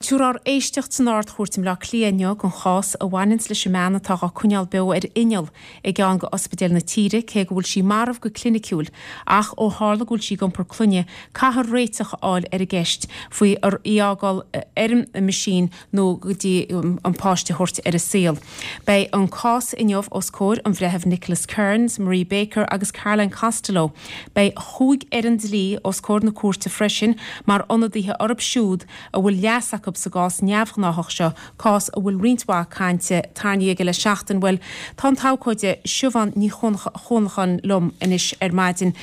Tabharfar éisteacht san Ard-Chúirt i mBleá Cliath inniu don chás a bhaineanns leis an mbean atá dhá coinneáil beo ar inneall i gceann de ospidéil na tíre, cé go bhfuil sí marbh go cliniciúil. Ach ó tharla go bhfuil sí ag iompar clainne, caithfear réiteach a fháil ar an gceist faoi í a fhágáil ar an meaisín nó go dtí an páiste a thabhairt ar an saol. Beidh an cás inniu os comhair an Bhreithimh Nicholas Kearns, Marie Baker agus Caroline Costello. Beidh chúig fhoireann dlí os comhair na cúirte freisin mar ionadaithe orthu siúd a bhfuil leas acu sa gcás neamhghnáthach seo, cás a bhfuil roinnt mhaith cainte tarraingthe aige le seachtain. Bhuel, tá an t-abhcóide Siobhán Ní Chuanacháin liom anois ar maidin.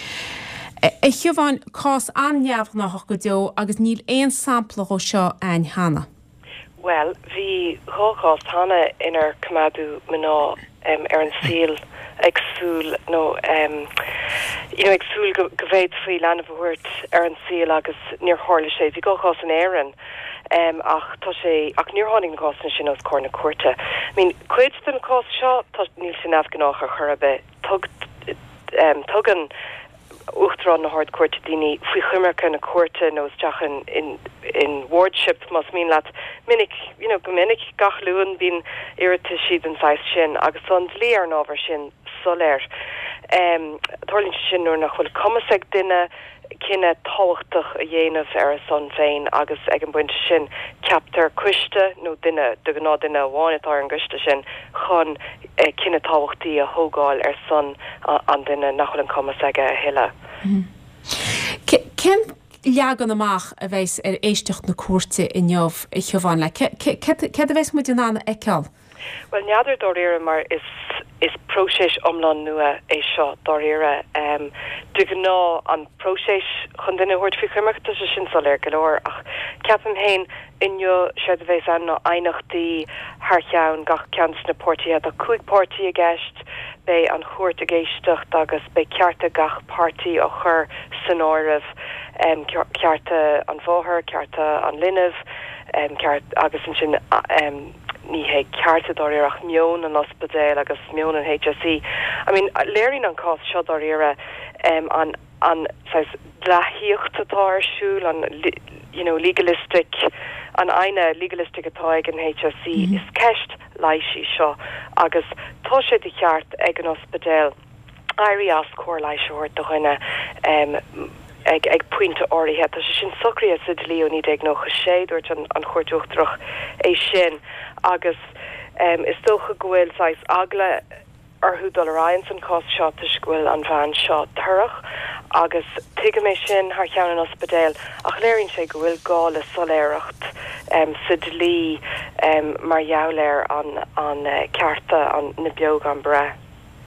A Shiobháin, cás an-neamhghnáthach go deo agus níl aon sampla dhó seo a'ainn cheana. Bhuel, bhí dhá chás cheana inar coimeádadh mná ar an saol ag súil nó you know ag súil go bhféadfaí leanbh a thabhairt ar an saol agus níor tharla sé. Bhí dhá chás in Éirinn ach tá sé, ach níor tháinig na cásanna sin os comhair na cúirte. I mean, cuid den chás seo, tá, níl sé neamhghnách ar chor ar bith. Tug, tugann Uachtarán na hArd-Chúirte daoine faoi choimirce na cúirte nó isteach in, in, in wardship más mian leat. Minic, you know, go minic, gach Luan bíonn iarrataisí den saghas sin agus tá an dlí ar an ábhar sin soiléir. Tarlaíonn sé sin nuair nach bhfuil cumas ag duine cinneadh tábhachtach a dhéanamh ar a son féin agus ag an bpointe sin ceaptar coiste nó duine, de ghnáth duine amháin atá ar an gcoiste sin, chun cinneadh tábhachtaí a thógáil ar son an duine nach bhfuil an cumas aige a thuilleadh. Cén leagan amach a bheas ar éisteacht na cúirte inniu, a Shiobháin? Céard a bheas muid in ann a fheiceáil? Bhuel, n'fheadar dáiríre mar is is próiseas iomlán nua é seo dáiríre. De ghnáth an próiseas chun duine a thabhairt faoi choimirce, tá sé sin soiléir go leor ach ceapaim féin inniu séard a bheas ann ná aighneachtaí thar cheann gach ceann de na páirtithe. Tá 5 páirtí i gceist, beidh an chúirt ag éisteacht agus beidh cearta gach páirtí á chur san áireamh, cearta an mháthair, cearta an linbh, ceart agus ansin ní hé cearta dáiríre ach meon an ospidéil agus meon an HSE. I mean, léiríonn an cás seo dáiríre an an saghas dleathaíocht atá ar siúl, an you know legalistic, an aigne legalistic atá ag an HSE. Is ceist leighis í seo agus tá sé de cheart ag an ospidéal éirí as cóir leighis a thabhairt do dhuine ag ag pointe áirithe. Tá sé sin socraithe sa dlí ó 1996, dúirt an Chúirt Uachtarach é sin agus is dócha go bhfuil saghas eagla orthu dul ar aghaidh ins an cás seo toisc go bhfuil an bhean seo torrach agus tuigim é sin thar cheann an ospidéil ach léiríonn sé go bhfuil gá le soiléireacht sa dlí mar gheall ar an an cearta an na beo gan breith.